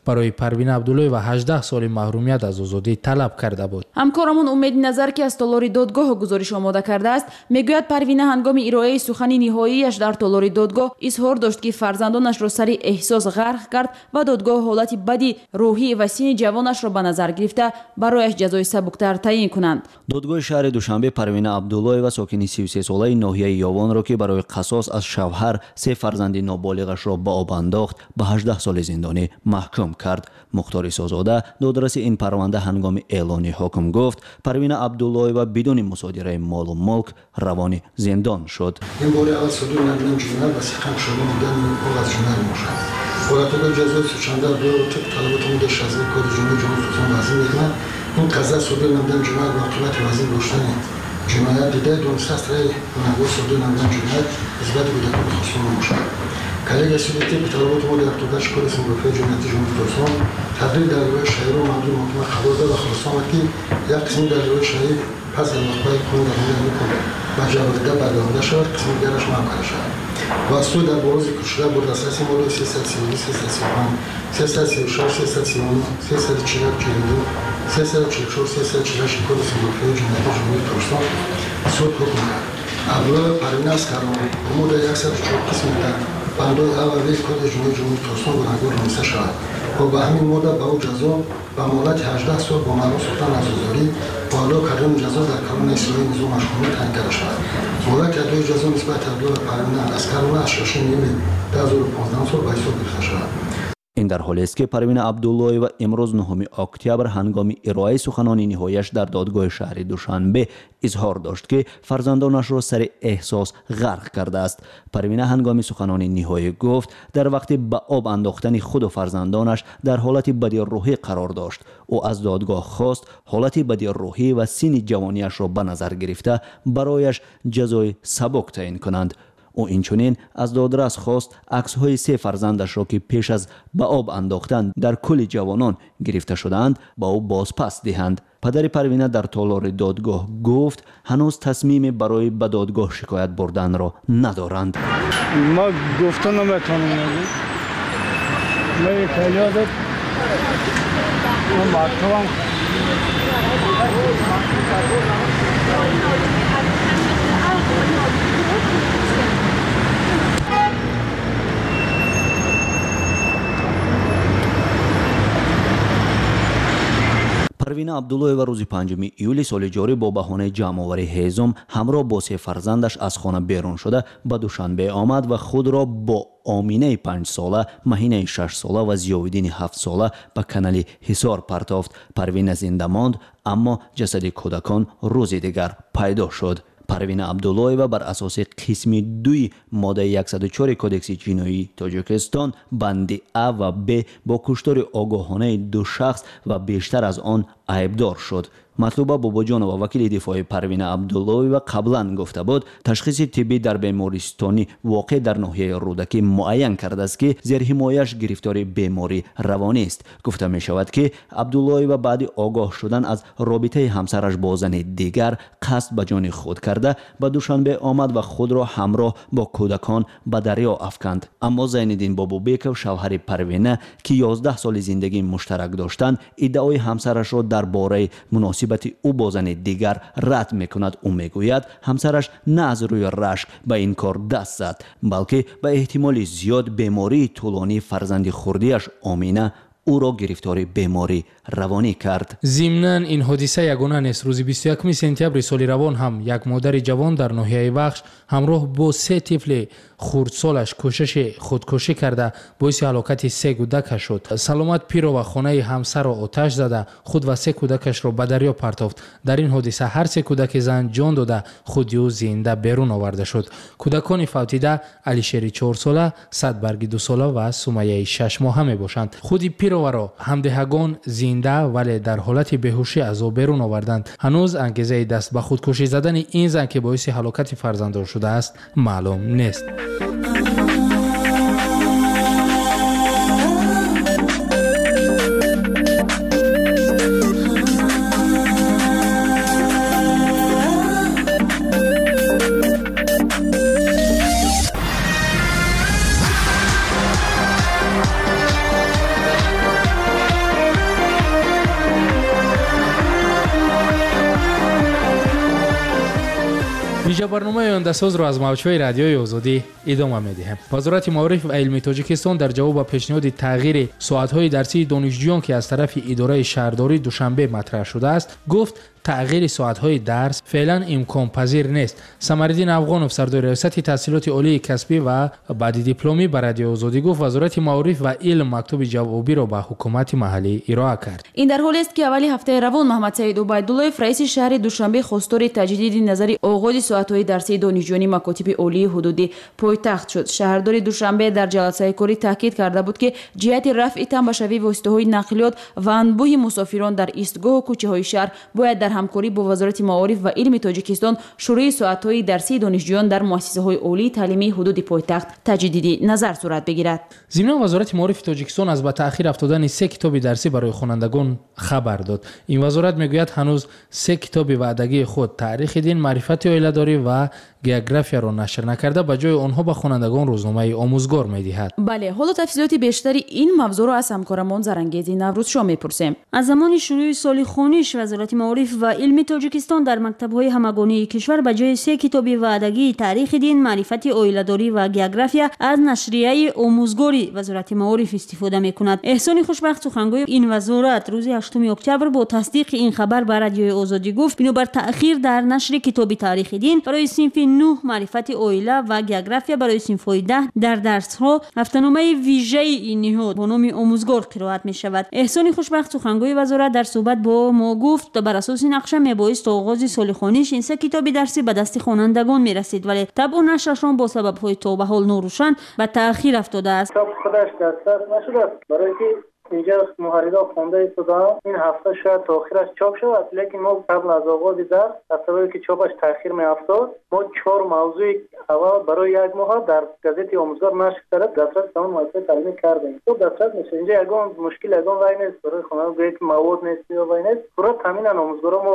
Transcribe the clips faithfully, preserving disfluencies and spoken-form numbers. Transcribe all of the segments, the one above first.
Барои Парвина Абдуллоева ҳаждаҳ соли маҳрумият аз озодӣ талаб карда буд. Ҳамкорамон Умед Назар, ки аз толори додгоҳ гузориш омода кардааст, мегӯяд Парвина ҳангоми ироаи сухани ниҳоияш дар толори додгоҳ изҳор дошт, ки фарзандонашро сари эҳсос ғарқ кард ва додгоҳ ҳолати бади рӯҳӣ ва синни ҷавонашро ба назар гирифта барояш ҷазои сабуктар таъин кунанд. Додгоҳи шаҳри Душанбе Парвина Абдуллоева, сокини сию сесолаи ноҳияи Ёвонро, ки барои қасос аз шавҳар се фарзанди ноболиғашро ба об андохт, ба ҳаждаҳ соли зиндонӣ маҳкум кард. Мухтор Исозода, додраси ин парванда, ҳангоми эълони ҳукм гуфт, Парвина Абдуллоева бидуни мусодираи молу мулк равони зиндон шуд. Ин бори аввал содир намудани ҷиноят ва сиқам шуда намудани оғоз ҷиноят мебошад. Ҳолатҳои ҷазои сучанда Абдуллоева тибқи талаботи моддаи шасту Кодекси ҷиноии Ҷумҳурии Тоҷикистон вазин мекунад. Ин қазия содир намудани ҷиноят ва оқибати вазин доштани ҷиноят дида дониста аз тарафи гунаҳгор содир намудани ҷиноят нисбати кӯдакони хусур мебошад. Коллегияи суди тибқи талаботи моддаи ҳафтоду ҳашт Кодекси мудофиаи ҷиноятии Ҷумҳурии Тоҷикистон тадбири далелҳои шаҳиро мавриди муҳокима қарор дод ва хулоса омад, ки як қисми далелҳои шаҳӣ пас аз вақфаи қонун дар ҳоли ҳукм ба ҷавобдиҳанда баргардонида шавад, қисми дигараш маҳв карда шавад. Ва суд дар боло зикршуда бо дастраси моддаи сесаду сию ду, сесаду сию панҷ, сесаду сию шаш, сесаду сию нӯҳ, сесаду чилу як, чилу ду, сесаду чилу чор, сесаду чилу ҳашт Кодекси мудофиаи ҷиноятии Ҷумҳурии Тоҷикистон суд ҳукм кард. Абдуллоева Парвина Аскарова бо моддаи яксаду чор қисми дар бандҳои А ва В Кодекси ҷиноии Ҷумҳурии Тоҷикистон гунаҳгор дониста шавад ва ба ҳамин модда ба ӯ ҷазо ба муҳлати ҳаждаҳ сол бо маҳрум сохтан аз озодӣ бо адо кардани ҷазо дар колонияи ислоҳии низом машғулӣ таъин карда шавад. Муҳлати адои ҷазо нисбати Абдуллоева Парвина Аскарова аз шашуми июли ду ҳазору понздаҳум сол ба ҳисоб гирифта шавад. Ин дар ҳолест, ки Парвина Абдуллоева имрӯз нӯҳуми октябр ҳангоми ироаи суханони ниҳояш дар додгоҳи шаҳри Душанбе изҳор дошт, ки фарзандонашро сари эҳсос ғарқ кардааст. Парвина ҳангоми суханони ниҳоӣ гуфт, дар вақти ба об андохтани худу фарзандонаш дар ҳолати бади рӯҳӣ қарор дошт. Ӯ аз додгоҳ хост ҳолати бади рӯҳӣ ва синни ҷавонияшро ба назар гирифта барояш ҷазои сабук таъин кунанд. Ӯ инчунин аз додрас хост аксҳои се фарзандашро, ки пеш аз ба об андохтан дар кӯли ҷавонон гирифта шудаанд, ба ӯ бозпас диҳанд. Падари Парвина дар толори додгоҳ гуфт, ҳанӯз тасмиме барои ба додгоҳ шикоят бурданро надоранд. Ма гуфта наметавонам. Парвина Абдуллоева рӯзи панҷуми июли соли ҷорӣ бо баҳонаи ҷамъоварии ҳезум ҳамроҳ бо се фарзандаш аз хона берун шуда ба Душанбе омад ва худро бо Оминаи панҷсола, Маҳинаи шашсола ва Зиёвиддини ҳафтсола ба канали Ҳисор партофт. Парвина зинда монд, аммо ҷасади кӯдакон рӯзи дигар пайдо шуд. Парвина Абдуллоева бар асоси қисми дуи моддаи яксаду чори Кодекси ҷиноии Тоҷикистон банди А ва Б бо куштори огоҳонаи ду шахс ва бештар аз он айбдор шуд. Матлуба Бобоҷонова, вакили дифои Парвина Абдуллоева, қаблан гуфта буд, ташхиси тиббӣ дар бемористони воқеъ дар ноҳияи Рӯдакӣ муайян кардааст, ки зерҳимояш гирифтори беморӣ равонист. Гуфта мешавад, ки Абдуллоева баъди огоҳ шудан аз робитаи ҳамсараш бо зани дигар қасд ба ҷони худ карда ба Душанбе омад ва худро ҳамроҳ бо кӯдакон ба дарё афканд. Аммо Зайниддин Бобобеков, шавҳари Парвина, ки ёздаҳ соли зиндагии муштарак доштанд, иддаои ҳамсарашро дар бораи муносибати ӯ бо зани дигар рад мекунад. Ӯ мегӯяд, ҳамсараш на аз рӯи рашк ба ин кор даст зад, балки ба эҳтимоли зиёд бемории тӯлонии фарзанди хурдиаш Омина ӯро гирифтори беморӣ равонӣ кард. Зимнан ин ҳодиса ягона нест. Рӯзи бисту якуми сентябри соли равон ҳам як модари ҷавон дар ноҳияи Вахш ҳамроҳ бо се тифли хурдсолаш кӯшиши худкушӣ карда боиси ҳалокати се кӯдакаш шуд. Саломат Пирова хонаи ҳамсарро оташ зада худ ва се кӯдакашро ба дарё партофт. Дар ин ҳодиса ҳар се кӯдаки зан ҷон дода, худи ӯ зинда берун оварда шуд. Кӯдакони фавтида Алишери чорсола, Садбарги дусола ва Сумайяи шашмоҳа мебошанд. Худи Пироваро ҳамдеҳагон зинда вале дар ҳолати беҳушӣ аз об берун оварданд. Ҳанӯз ангезаи даст ба худкушӣ задани ин зан, ки боиси ҳалокати фарзандон шудааст, маълум нест. Вижа барномаи ояндасозро аз мавҷҳои радиои Озодӣ идома медиҳем. Вазорати маориф ва илми Тоҷикистон дар ҷавоб ба пешниҳоди тағйири соатҳои дарсии донишҷӯён, ки аз тарафи идораи шаҳрдории Душанбе матраҳ шудааст, гуфт тағйири соатҳои дарс феълан имконпазир нест. Самариддин Афғонов, сардори раёсати таҳсилоти олии касбӣ ва баъди дипломӣ, ба радиои Озодӣ гуфт Вазорати маориф ва илм мактуби ҷавобиро ба ҳукумати маҳаллӣ ироа кард. Ин дар ҳолест, ки аввали ҳафтаи равон Маҳмадсаид Убайдуллоев, раиси шаҳри Душанбе, хостори таҷдиди назари оғози соатҳои дарсии донишҷӯёни макотиби олии ҳудуди пойтахт шуд. Шаҳрдори Душанбе дар ҷаласаи корӣ таъкид карда буд, ки ҷиҳати рафъи тамбашавии воситаҳои нақлиёт ва анбӯҳи мусофирон дар истгоҳу кӯчаҳои шаҳр бояд дар ҳамкорӣ бо Вазорати маориф ва илми Тоҷикистон шурӯи соатҳои дарсии донишҷӯён дар муассисаҳои олии таълимии ҳудуди пойтахт таҷдиди назар сурат бигирад. Зимнан Вазорати маорифи Тоҷикистон аз ба таъхир афтодани се китоби дарсӣ барои хонандагон хабар дод. Ин вазорат мегӯяд ҳанӯз се китоби ваъдагии худ таърихи дин, маърифати оиладорӣ ва географияро нашр накарда, ба ҷои онҳо ба хонандагон рӯзномаи омӯзгор медиҳад. Бале, ҳоло тафсилоти бештари ин мавзӯъро аз ҳамкорамон Зарангези Наврӯзшо мепурсем. Аз замони шурӯи соли хониш Вазорати маориф ва илми Тоҷикистон дар мактабҳои ҳамагонии кишвар ба ҷои се китоби ваъдагии таърихи дин, маърифати оиладорӣ ва география аз нашрияи омӯзгори Вазорати маориф истифода мекунад. Эҳсони Хушбахт, сухангӯи ин вазорат, рӯзи ҳаштуми октябр бо тасдиқи ин хабар ба радиои Озодӣ гуфт бинобар таъхир дар нашри китоби таърихи дин барои синфи нӯҳ, маърифати оила ва география барои синфҳои даҳ дар дарсҳо ҳафтаномаи вижаи ин ниҳод бо номи омӯзгор қироат мешавад. Эҳсони Хушбахт, сухангӯи вазорат, дар суҳбат бо мо гуфт бар асоси нақша мебоист то оғози соли хониш ин се китоби дарсӣ ба дасти хонандагон мерасид, вале табъу нашрашон бо сабабҳои то ба ҳол норӯшан ба таъхир афтодааст. Китоб худаш дастрас нашудааст, барои ки инҷа муҳаррирон хонда истодаанд. Ин ҳафта шояд то охираш чоп шавад, лекин мо қабл аз оғози дарс аз сабаби ки чопаш таъхир меафтод, мо чор мавзӯи аввал барои як моҳ дар газети омӯзгор нашр карда дастрас ба он муассисаи таълимӣ кардем. Китоб дастрас мешавад. Инҷа ягон мушкил, ягон вай нест барои хонандагон, гӯяд ки мавод нест ё вай нест. Пурра таъминан омӯзгорон. Мо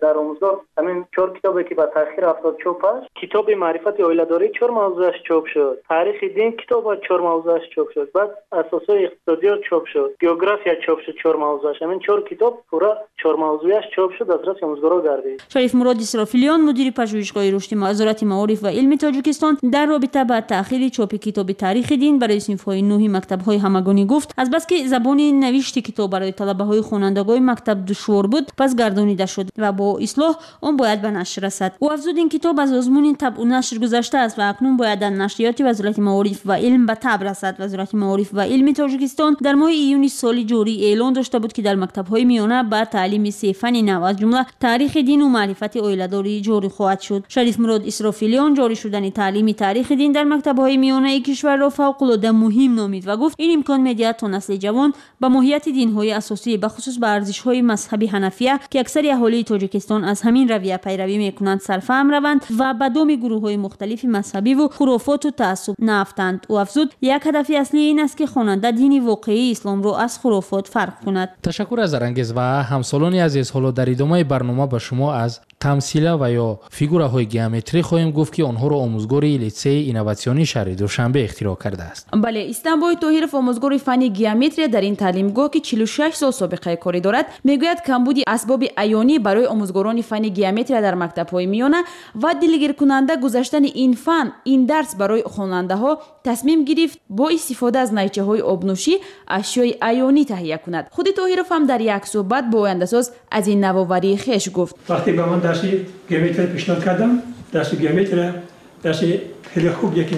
дар омӯзгор ҳамин чор китобе ки ба таъхир афтод чопаш, китоби маърифати оиладорӣ чор мавзӯаш чоп шуд, таърихи дин китоба чор мавзӯаш чоп шуд, баъд асосҳои иқтисодиёт чоп шуд, география чоп шуд чор мавзӯаш. Ҳамин чор китоб пурра чор мавзӯяш чоп шуд, дастраси омӯзгорон гардид. Шарифмурод Исрофилиён, мудири пажӯҳишгоҳи рушди Вазорати маориф ва илми Тоҷикистон, дар робита ба таъхири чопи китоби таърихи дин барои синфҳои нӯҳи мактабҳои ҳамагонӣ гуфт азбаски забони навишти китоб барои талабаҳои хонандагони мактаб душвор буд, пас гардонида шуд ва бо ислоҳ он бояд ба нашр расад. Ӯ афзуд ин китоб аз озмуни табъу нашр гузаштааст ва акнун бояд дар нашриёти Вазорати маориф ва илм ба таб расад. Вазорати маориф ва илми Тоҷикистон дар моҳи июни соли ҷорӣ эълон дошта буд, ки дар мактабҳои миёна ба таълими се фани нав аз ҷумла таърихи дину маърифати оиладорӣ ҷорӣ хоҳад шуд. Шарифмурод Исрофилиён ҷорӣ шудани таълими таърихи дин дар мактабҳои миёнаи кишварро фавқулода муҳим номид ва гуфт ин имкон медиҳад то насли ҷавон ба моҳияти динҳои асосӣ, бахусус ба арзишҳои мазҳаби ҳанафия, ки аксари аҳолии Тоҷикистон аз ҳамин равия пайравӣ мекунанд, сарфаҳм раванд ва ба доми гурӯҳҳои мухталифи мазҳабиву хурофоту таассуб наафтанд. Ӯ афзуд як ҳадафи аслӣ ин аст, ки хонанда дини воқеии исломро аз хурофот фарқ кунад. Ташаккур аз Зарангез ва ҳамсолони азиз. Ҳоло дар идомаи барнома ба шумо аз тамсила ва ё фигураҳои геометрӣ хоҳем гуфт, ки онҳоро омӯзгори литсеи инноватсионии шаҳри Душанбе ихтироъ кардааст. Бале, Истанбой Тоҳиров, омӯзгори фанни геометрия дар ин таълимгоҳ, ки чилу шаш сол собиқаи корӣ дорад, мегӯяд камбуди асбоби аёнӣ барои омӯзгорони фанни геометрия дар мактабҳои миёна ва дилгиркунанда гузаштани ин фан, ин дарс барои хонандаҳо тасмим гирифт бо истифода аз найчаҳои обнӯшӣ ашёи аёнӣ таҳия кунад. Худи Тоҳиров ҳам дар як суҳбат бо ояндасоз аз ин навоварии хеш гуфт. Вақте ба ман дарси геометрия пешниҳод кардам, дарси геометрия дарси хеле хуб, яке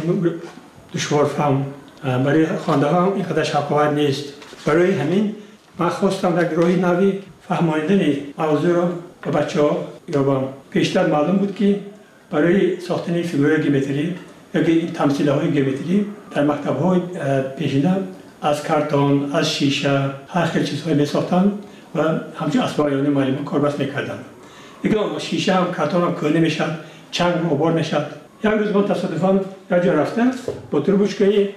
душворфаҳм, барои хонандаҳо ин қадар шавқовар нест. Барои ҳамин ман хостам як роҳи нави фаҳмонидани мавзӯъро ба бачаҳо ёбам. Пештар маълум буд, ки барои сохтани фигураи геометрӣ ёки тамсилаҳои геометрӣ дар мактабҳои пешина аз картон, аз шиша ҳар хел чизҳое месохтанд ва ҳамчун асбоби аёнии муаллимон корбаст мекарданд. Лекин шиша ҳам картон ҳам кӯҳна мешавад, чанг ғубор мешавад. Як рӯз ман тасодуфан як ҷо рафта бо трубочкаи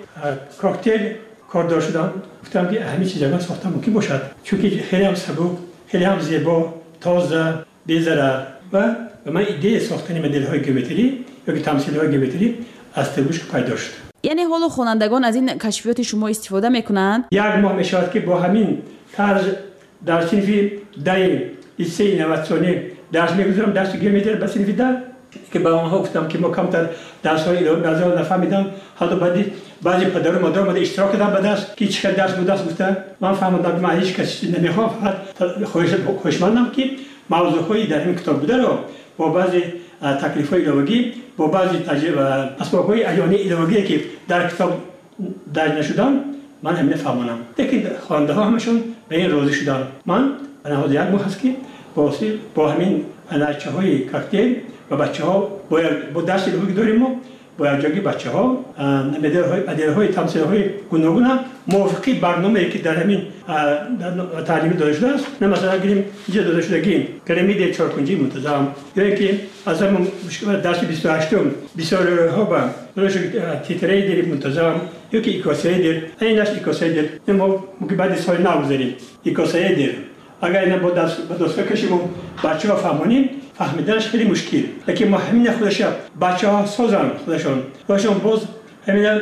коктейл кордор шудам. Гуфтам, ки ҳамин чиз ягон сохта мумкин бошад, чунки хеле ҳам сабук, хеле ҳам зебо, тоза, безарар. Ва ба ман идеяи сохтани моделҳои геометрӣ ёки тамсилҳои геометрӣ аз трубочка пайдо шуд. Яъне ҳоло хонандагон аз ин кашфиёти шумо истифода мекунанд? Як моҳ мешавад, ки бо ҳамин тарз дар синфи даҳи литсеи инноватсионӣ дарс мегузорам, дарси геометрия ба синфи даҳ. Ки ба онҳо гуфтам ки мо камтар дарсҳои иловагӣ баъзеҳо нафаҳмидам, ҳатто баъди баъзе падару модар омада иштирок кардам ба дарс, ки чӣ қадр дарс будааст гуфта. Ман фаҳмидам ки ман ҳеҷ кас чизе намехоҳам, фақат хоҳишмандам ки мавзӯъҳои дар ин китоб бударо бо баъзе таклифҳои иловагӣ, бо баъзе асбобҳои аёнии иловагие ки дар китоб дарҷ нашуданд, ман ҳамина фаҳмонам. Лекин хонандаҳо ҳамашон ба ин розӣ шуданд. Ман ҳозир як моҳ аст ки бо ҳамин найчаҳои коктейл ва бачаҳо бо дарси иловагӣ дорем, мо бо якҷоягӣ бачаҳо моделҳои тамсилҳои гуногуна мувофиқи барномае ки дар ҳамин таълимӣ дода шудааст. На масалан гирем инҷа дода шудагӣ пирамидаи чоркунҷии мунтазам, ё ин ки аз ҳамон дарси бисту ҳаштум бисёриҳо ба дода шуд тетраэдри мунтазам ё ки икосаэдр. Инаш икосаэдр мо мумкин баъди соли нав гузарем икосаэдр. Агар ина бо доска кашиму бачаҳо фаҳмонем, фаҳмиданаш хеле мушкил. Лекин мо ҳамина худаша бачаҳо созанд, худашон худашон боз ҳамина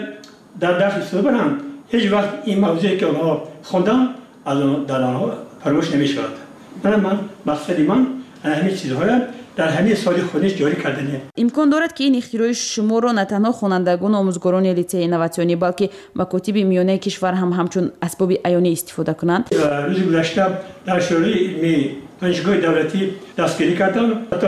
дар дарс истифода баранд, ҳеҷ вақт ин мавзӯе ки онҳо хонданд аз дар онҳо фаромӯш намешавад. Мана ман мақсади ман ҳамин чизҳоя дар ҳамин соли хониш ҷорӣ кардане. Имкон дорад ки ин ихтирои шуморо на танҳо хонандагону омӯзгорони литсеи инноватсионӣ, балки макотиби миёнаи кишвар ҳам ҳамчун асбоби аёнӣ истифода кунанд? Рӯзи гузашта дар шӯрои илмии донишгоҳи давлатӣ дастгирӣ кардам. Ҳатто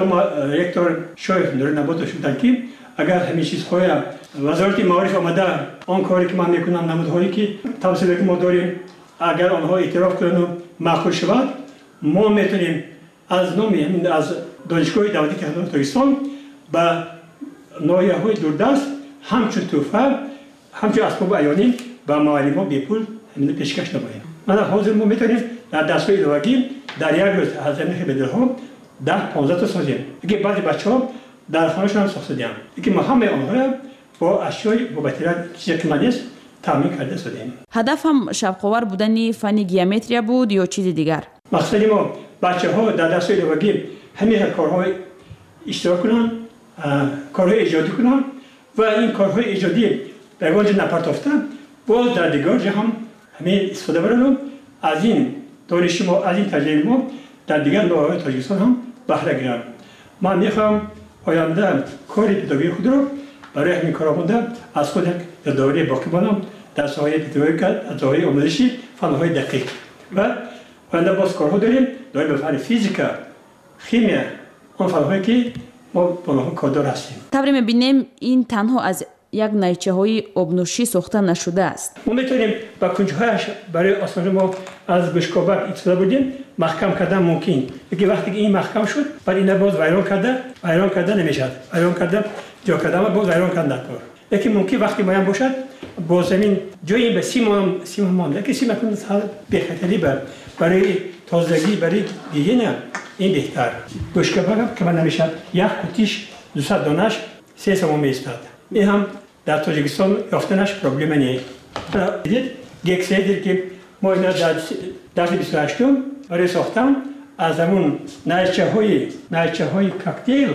ректор Шоев Нуринаботов шуданд ки агар ҳамин чизҳоя вазорати маориф омада он коре ки ман мекунам, намудҳое ки тамсиле ки мо дорем, агар онҳо эътироф кунану маъқул шавад, мо метавонем аз номи аз донишгоҳи давлатии технологии Тоҷикистон ба ноҳияҳои дурдаст ҳамчун тӯҳфа, ҳамчун асбоби аёнӣ ба муаллимҳо бепул ҳамина пешкаш намоем. Мана ҳозир мо метавонем дар дарсҳои иловагӣ дар як рӯз аз ҳамин моделҳо даҳ понздаҳ то созем. Лекин баъзе бачаҳо дар хонашон ҳам сохта диҳанд. Лекин мо ҳамаи онҳоро бо ашёи бо материал чизе ки ман нест таъмин карда содем. Ҳадаф ҳам шавқовар будани фанни геометрия буд ё чизи дигар? Мақсади мо бачаҳо дар дарсҳои иловагӣ ҳамин корҳо иштирок кунанд, корҳои эҷодӣ кунанд ва ин корҳои эҷодӣ дар ягон ҷо напартофта боз дар дигар ҷо ҳам ҳамин истифода баранд. Аз ин дониши мо, аз ин таҷрибаи мо дар дигар ноҳияҳои Тоҷикистон ҳам баҳра гиранд. Ман мехоҳам оянда кори педагогии худро барои ҳамин корҳо монда аз худ як ёдоварӣ боқӣ монам дар соҳаи педагогика, дар соҳаи омӯзиши фанҳои дақиқ. Ва оянда боз корҳо дорем доир ба фанни физика, химия, он фанҳое ки мо бо онҳо кордор ҳастем. Тавре мебинем, ин танҳо аз як найчаҳои обнӯшӣ сохта нашудааст. Мо метавонем ба кунҷҳояш барои осонӣ мо аз гӯшкобак истифода бурдем, маҳкам кардан мумкин. Лекин вақте ки ин маҳкам шуд, баъд ина боз вайрон карда, вайрон карда намешавад. Вайрон карда, ҷо кардан боз вайрон кардан дар кор. Лекин мумкин вақти муайян бошад, бо замин ҷои ба сим сим монд. Лекин сим акнун бехатарӣ барои тозагӣ, барои гигиена ин беҳтар. Гӯшкобак ки намешавад, як қутиш дусад донаш се сомон меистад. Ин ҳам дар Тоҷикистон ёфтанаш проблема не. Дидед гексаэдр ки мо ина дар дарси бисту ҳаштум барои сохтан аз ҳамун найчаҳои найчаҳои коктейл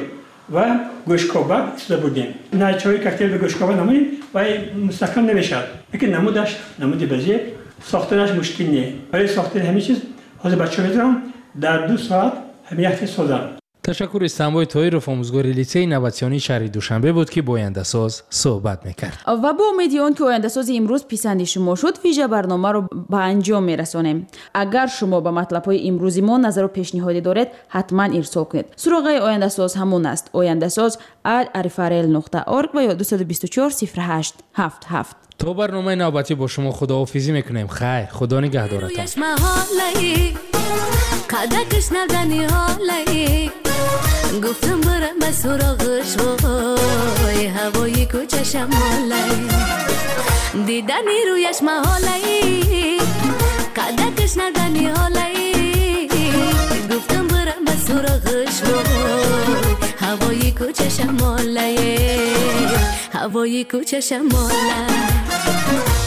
ва гӯшкобак истифода бурдем. Найчаҳои коктейл ва гӯшкобак намудем ва мустаҳкам намешавад. Лекин намудаш намуди базир, сохтанаш мушкил не. Барои сохтани ҳамин чиз ҳозир бачаҳо метавонанд дар ду соат ҳамин як чиз созанд. Ташаккур. Истанбой Тоиров, омӯзгори литсеи инноватсионии шаҳри Душанбе буд, ки бо ояндасоз суҳбат мекард. Ва бо умеди он ки ояндасози имрӯз писанди шумо шуд, вижа барномаро ба анҷом мерасонем. Агар шумо ба матлабҳои имрӯзи мо назару пешниҳоде доред, ҳатман ирсол кунед. Суроғаи ояндасоз ҳамон аст: ояндасоз at rfrl нуқта org ва ё дусаду бисту чор сифр ҳашт ҳафт ҳафт. То барномаи навбатӣ бо шумо худоҳофизӣ мекунем. Хайр, худо нигаҳдоратон. Қадакаш навдани ҳолаи гуфтам барам ба суроғаш, вой ҳавои кӯча шамолаи дидани рӯяш маҳолаи қадакаш навдани ҳолаи гуфтам барам ба суроғаш, вой ҳавои кӯча шамолаи ҳавои кӯча шамолаи.